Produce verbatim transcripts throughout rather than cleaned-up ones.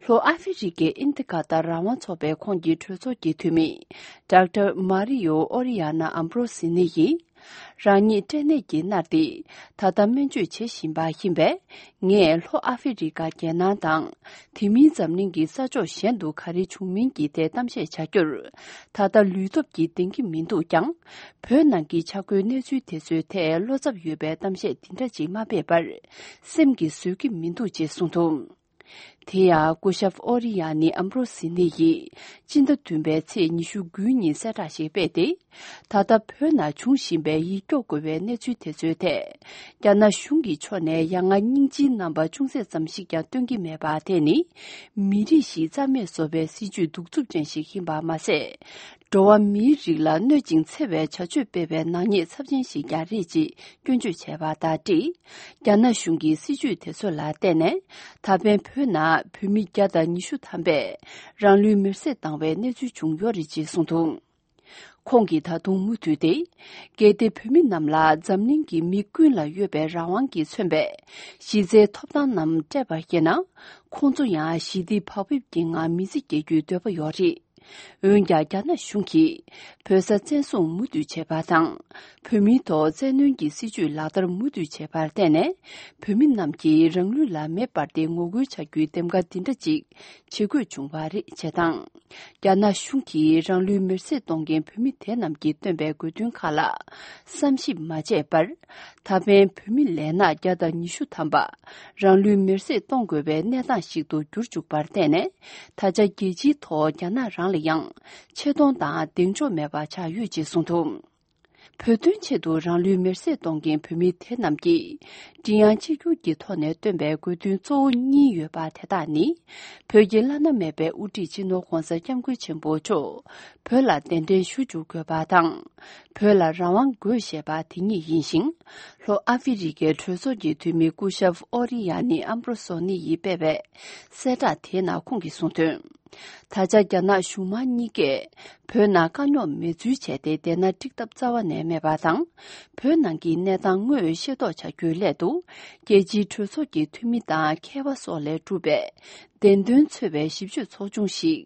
ལྷོ་ཨ་ཧྥེ་རི་ཀའི་ཨིན་དི་ཀ་ཏར་རང་དབང་ཚོགས་པའི་ཁོངས་ཀྱི་གྲོས་ཚོགས་ཀྱི་འཐུས་མི་ཌོག་ཊར་མ་རི་ཡོ་ཨོ་རི་ཡ་ན་ཨམ་བྷྲོ་སི་ནི་ཡིས། རང་ཉིད་སྐྲན་ནད་ཀྱིས་མནར་ཏེ། ད་ལྟ་སྨན་བཅོས་བྱེད་བཞིན་པ་ཡིན་པས། ངས་ལྷོ་ཨ་ཧྥེ་རི་ཀ་རྒྱལ་ནང་དང་། དེ་མིན་འཛམ་གླིང་གི་ས་ཕྱོགས་གཞན་དུ་ག་རེ་བྱུང་མིན་གྱི་ཐད་གཏམ་བཤད་བྱ་རྒྱུར། ད་ལྟ་ལུས་སྟོབས་ཀྱིས་ལྡེང་གི་མི་འདུག་ཀྱང་། བོད་ནང་གི་ཆ་བགོས་གནས་ཚུལ་དེ་ཚོའི་ཐད་བློ་འཚབ་ཡོད་པའི་གཏམ་བཤད་འདི་འདྲ་ཅིག་མ་སྤེལ་བར། སེམས་ཀྱིས་བཟོད་ཀྱི་མི་འདུག་ཅེས་གསུངས་འདུག་དེ་ཡང་སྐུ་ཞབས་ཨོ་རི་ཡ་ནི་ཨམ་བྷྲོ་སི་ནི་ཡིས་སྤྱི་ཟླ་བདུན་པའི་ཚེས་ཉི་ཤུ་དགུའི་ཉིན་གསལ་བསྒྲགས་ཤིག་སྤེལ་ཏེ། ད་ལྟ་བོད་ནང་འབྱུང་བཞིན་པའི་ཡིད་སྐྱོ་དགོས་པའི་གནས་ཚུལ་དེ་ཚོའི་ཐད། རྒྱ་ནག་གཞུང་གི་ཕྱོགས་ནས་ཡ་ང་སྙིང་རྗེའི་རྣམ་པ་ཅུང་ཟད་ཙམ་ཞིག་ཀྱང་སྟོན་གྱི་མེད་པ་དེ་ནི། མི་རིགས་ཤིག་རྩ་མེད་བཟོ་བའི་སྲིད་ཇུས་གདུག་རྩུབ་ཅན་ཞིག་ཡིན་པ་མ་ཟད། འགྲོ་བ་མིའི་རིགས་ལ་གནོད་ཅིང་འཚེ་བའི་བྱ་སྤྱོད་སྤེལ་བའི་ནག་ཉེས་ཚབས་ཆེན་ཞིག་ཀྱང་རེད་ཅེས་སྐྱོན་བརྗོད་བྱས་པ་དང་འབྲེལ། རྒྱ་ནག་གཞུང་གི་སྲིད་ཇུས་དེ་ཚོ་ལ་བརྟེན་ནས། ད་ཕན་བོད་ནང་བོད་མི་བརྒྱ་དང་ཉི་ཤུ་ཐམ་པས་རང་ལུས་མེར་སྲེག་བཏང་བའི་གནས་ཚུལ་བྱུང་ཡོད་རེད་ཅེས་གསུངས་འདུག་ཁོང་གིས་ད་དུང་མུ་མཐུད་དེ། གལ་ཏེ་བོད་མི་རྣམས་ལ་འཛམ་གླིང་གི་མི་ཀུན་ལ་ཡོད་པའི་རང་དབང་གིས་མཚོན་པའི་གཞི་རྩའི་ཐོབ་ཐང་རྣམས་སྤྲད་པ་ཡིན་ན། ཁོང་ཚོ་ཡང་ཞི་བདེ་བག་ཕེབས་ཀྱི་ངང་མི་ཚེ་སྐྱེལ་རྒྱུའི་འདོད་པ་ཡོད་རེད། འོན་ཀྱང་རྒྱ་ནག་གཞུང་གིས་བོད་ས་བཙན་བཟུང་མུ་མཐུད་བྱས་པ་དང་། བོད་མིའི་ཐོག་བཙན་གནོན་གྱི་སྲིད་ཇུས་ལག་བསྟར་མུ་མཐུད་བྱས་པར་བརྟེན་ནས། བོད་མི་རྣམས་ཀྱིས་རང་ལུས་ལ་མེ་སྤར་ཏེ་ངོ་རྒོལ་བྱ་རྒྱུའི་འདེམས་ཀ་འདི་འདྲ་ཅིག་བྱེད་དགོས་བྱུང་བ་རེད་ཅེས་དང་། རྒྱ་ནག་གཞུང་གིས་རང་ལུས་མེར་སྲེག་གཏོང་མཁན་བོད་མི་དེ་རྣམས་ཀྱིས་བཏོན་པའི་དགོས་འདུན་ཁག་ལ་བསམ་ཞིབ་མ་བྱས་པར། ད་ཕན་བོད་མི་ལས་ནག་བརྒྱ་དང་ཉི་ཤུ་ཐམ་པ་རང་ལུས་མེར་སྲེག་གཏོང་དགོས་པའི་གནས་སྟངས་ཤིག་ཏུ་གྱུར་བཅུག་པར་བརྟེན་ནས། ད་ཆ་རྒྱལ་སྤྱིའི་ཐོག་རྒྱ་ནག་རང་ལ་ཡང་ཆེ་མཐོང་དང་གདེང་འཇོག་མེད་པ་ཆགས་ཡོད་ཅེས་གསུངས་འདུག་བོད་དོན་ཆེད་དུ་རང་ལུས་མེར་སྲེག་གཏོང་མཁན་བོད་མི་དེ་རྣམས་ཀྱིས་མགྲིན་དབྱངས་གཅིག་གྱུར་གྱི་ཐོག་ནས་བཏོན་པའི་དགོས་འདུན་གཙོ་བོ་གཉིས་ཡོད་པ་དེ་དག་ནི། བོད་ཀྱི་བླ་ན་མེད་པའི་དབུ་ཁྲིད་སྤྱི་ནོར་༧གོང་ས་༧སྐྱབས་མགོན་ཆེན་པོ་མཆོག་བོད་ལ་གདན་འདྲེན་ཞུ་བཅུག་དགོས་པ་དང་། བོད་ལ་རང་དབང་དགོས་ཞེས་པ་དེ་གཉིས་ཡིན་ཞིང་། ལྷོ་ཨ་ཧྥེ་རི་ཀའི་གྲོས་ཚོགས་ཀྱི་འཐུས་མི་སྐུ་ཞབས་ཨོ་རི་ཡ་ནི་ཨམ་བྷྲོ་སོ་ནི་ཡིས་སྤེལ་བའི་གསལ་བསྒྲགས་དེའི་ནང་ཁོང་གིས་གསུངས་དོན། ད་ཆ་རྒྱ་ནག་གཞུང་མང་གཉིས་ཀས་བོད་ནང་དཀའ་རྙོག་མེད་ཚུལ་བྱས་ཏེ། བསྡད་ན་འགྲིག་ཐབས་རྩ་བ་ནས་མེད་པ་དང་། བོད་ནང་གི་གནས་སྟངས་དངོས་ཤེས་རྟོགས་བྱ་རྒྱུའི་སླད་དུ། རྒྱལ་སྤྱིའི་གྲོས་ཚོགས་ཀྱི་འཐུས་མི་དང་མཁས་པ་སོགས་ལས་གྲུབ་པའི་བདེན་དོན་འཚོལ་བའི་ཞིབ་དཔྱོད་ཚོགས་ཆུང་ཞིག་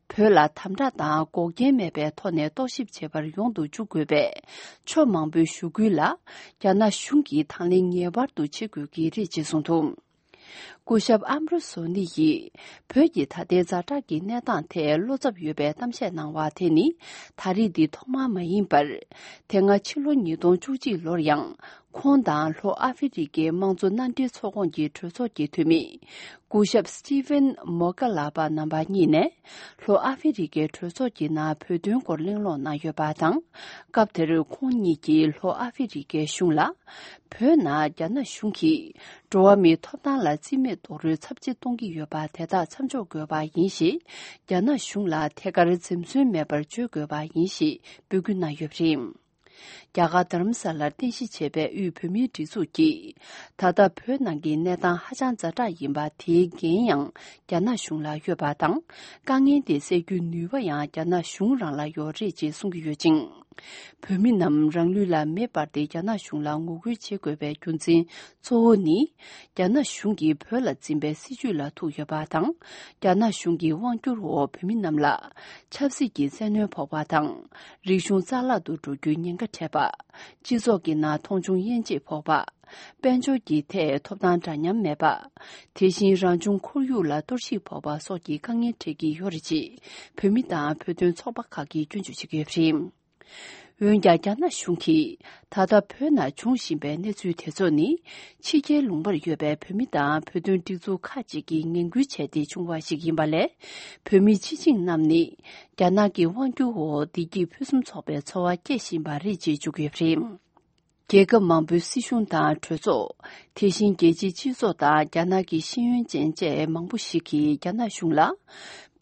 བོད་ལ་དམ་དྲག་དང་འགོག་རྐྱེན་མེད་པའི་ཐོག་ནས་རྟོག་ཞིབ་བྱེད་པར་ཡོང་དུ་འཇུག་དགོས་པའི་ཕྱོགས་མང་པོའི་ཞུ་སྐུལ་ལ། རྒྱ་ནག་གཞུང་གིས་དང་ལེན་ངེས་པར་དུ་བྱེད་དགོས་ཀྱི་རེད་ཅེས་གསུངས་འདུག་སྐུ་ཞབས་ཨམ་རོ་སོ་ནི་ཡིས། བོད་ཀྱི་ད་ལྟའི་ཛ་དྲག་གི་གནས་སྟངས་ཐད་བློ་འཚབ་ཡོད་པའི་གཏམ་བཤད་གནང་བ་དེ་ནི། ད་རེས་འདི་ཐོག་མ་མ་ཡིན་པར། དེ་སྔ་ཕྱི་ལོ་ཉིས་སྟོང་བཅུ་གཅིག་ལོར་ཡང་། ཁོང་དང་ལྷོ་ཨ་ཧྥེ་རི་ཀའི་དམངས་གཙོ་མནའ་འབྲེལ་ཚོགས་ཁོངས་ཀྱི་གྲོས་ཚོགས་ཀྱི་འཐུས་མི། སྐུ་ཞབས་སི་ཊི་ཝེན་མོ་ཀ་ལ་པ་རྣམ་པ་གཉིས་ནས། ལྷོ་ཨ་ཧྥེ་རི་ཀའི་གྲོས་ཚོགས་ཀྱི་ནང་བོད་དོན་སྐོར་གླེང་སློང་གནང་ཡོད་པ་དང་། སྐབས་དེར་ཁོང་གཉིས་ཀྱིས་ལྷོ་ཨ་ཧྥེ་རི་ཀའི་གཞུང་ལ། བོད་ནང་རྒྱ་ནག་གཞུང་གིས་འགྲོ་བ་མིའི་ཐོབ་ཐང་ལ་རྩིས་མེད་རྡོག་རོལ་ཚབས་ཆེ་གཏོང་གི་ཡོད་པ་དེ་དག་མཚམས་འཇོག་དགོས་པ་ཡིན་ཞེས། རྒྱ་ནག་གཞུང་ལ་ཐད་ཀར་འཛེམ་ཟོན་མེད་པར་བརྗོད་དགོས་པ་ཡིན་ཞེས་འབོད་སྐུལ་གནང་ཡོད་པ་རེད། རྒྱ་གར་དྷ་རམ་ས་ལར་རྟེན་གཞི་བྱས་པའི་དབུས་བོད་མིའི་སྒྲིག་འཛུགས་ཀྱིས། ད་ལྟ་བོད་ནང་གི་གནས་སྟངས་ཧ་ཅང་ཛ་དྲག་ཡིན་པ་དེའི་འགན་ཡང་རྒྱ་ནག་གཞུང་ལ་ཡོད་པ་དང་། དཀའ་ངལ་དེ་སེལ་རྒྱུའི་ནུས་པ་ཡང་རྒྱ་ནག་གཞུང་རང་ལ་ཡོད་རེད་ཅེས་གསུང་གི་ཡོད་ཅིང་། བོད་མི་རྣམས་རང་ལུས་ལ་མེ་སྤར་ཏེ་རྒྱ་ནག་གཞུང་ལ་ངོ་རྒོལ་བྱེད་དགོས་པའི་རྒྱུ་མཚན་གཙོ་བོ་ནི། རྒྱ་ནག་གཞུང་གིས་བོད་ལ་འཛིན་པའི་སྲིད་ཇུས་ལ་ཐུག་ཡོད་པ་དང་། རྒྱ་ནག་གཞུང་གི་དབང་སྒྱུར་འོག་བོད་མི་རྣམས་ལ་ཆབ་སྲིད་ཀྱི་བཙན་གནོན་ཕོག་པ་དང་། རིག་གཞུང་རྩ་བརླག་ཏུ་འགྲོ་རྒྱུའི་ཉེན་ཁ་འཕྲད་པ། སྤྱི་ཚོགས་ཀྱི་ནང་མཐོང་ཆུང་དབྱེ་འབྱེད་ཕོག་པ། དཔལ་འབྱོར་གྱི་ཐད་ཐོབ་ཐང་འདྲ་མཉམ་མེད་པ། དེ་བཞིན་རང་བྱུང་ཁོར་ཡུག་ལ་གཏོར་བཤིག་ཕོག་པ་སོགས་ཀྱི་དཀའ་ངལ་འཕྲད་ཀྱི་ཡོད་རེད་ཅེས་བོད་མི་དང་བོད་དོན་ཚོགས་པ་ཁག་གིས་སྐྱོན་བརྗོད་བྱེད་ཀྱི་ཡོད་པ་རེད། འོན་ཀྱང་རྒྱ་ནག་གཞུང་གིས་ད་ལྟ་བོད་ནང་འབྱུང་བཞིན་པའི་གནས་ཚུལ་དེ་ཚོ་ནི། ཕྱི་རྒྱལ་ལུང་པར་ཡོད་པའི་བོད་མི་དང་བོད་དོན་སྒྲིག་འཛུགས་ཁག་ཅིག་གིས་ངན་སྐུལ་བྱས་ཏེ་བྱུང་བ་ཞིག་ཡིན་པ་ལས། བོད་མི་སྤྱི་བྱིངས་རྣམས་ནི། རྒྱ་ནག་གི་དབང་སྒྱུར་འོག་བདེ་སྐྱིད་ཕུན་སུམ་ཚོགས་པའི་འཚོ་བ་སྐྱེལ་བཞིན་པ་རེད་ཅེས་བརྗོད་ཀྱི་ཡོད་པ་རེད། རྒྱལ་ཁབ་མང་པོའི་སྲིད་གཞུང་དང་གྲོས་ཚོགས། དེ་བཞིན་རྒྱལ་སྤྱིའི་སྤྱི་ཚོགས་དང་རྒྱ་ནག་གི་ཤེས་ཡོན་ཅན་བཅས་མང་པོ་ཞིག་གིས་རྒྱ་ནག་གཞུང་ལ།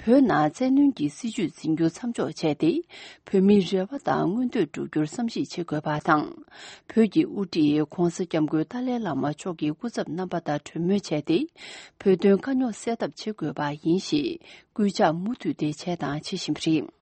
བོད་ནང་བཙན་གནོན་གྱི་སྲིད་ཇུས་འཛིན་རྒྱུ་མཚམས་འཇོག་བྱས་ཏེ། བོད་མིའི་རེ་བ་དང་མངོན་འདོད་བསྒྲུབ་རྒྱུར་བསམ་གཞིག་བྱེད་དགོས་པ་དང་། བོད་ཀྱི་དབུ་ཁྲིད་༧གོང་ས་༧སྐྱབས་མགོན་ཏཱ་ལའི་བླ་མ་མཆོག་གི་སྐུ་ཚབ་རྣམ་པ་དང་གྲོས་མོལ་བྱས་ཏེ། བོད་དོན་དཀའ་རྙོག་སེལ་ཐབས་བྱེད་དགོས་པ་ཡིན་ཞེས་སྐུལ་ལྕག་མུ་མཐུད་དེ་བྱས་དང་བྱེད་བཞིན་པ་རེད།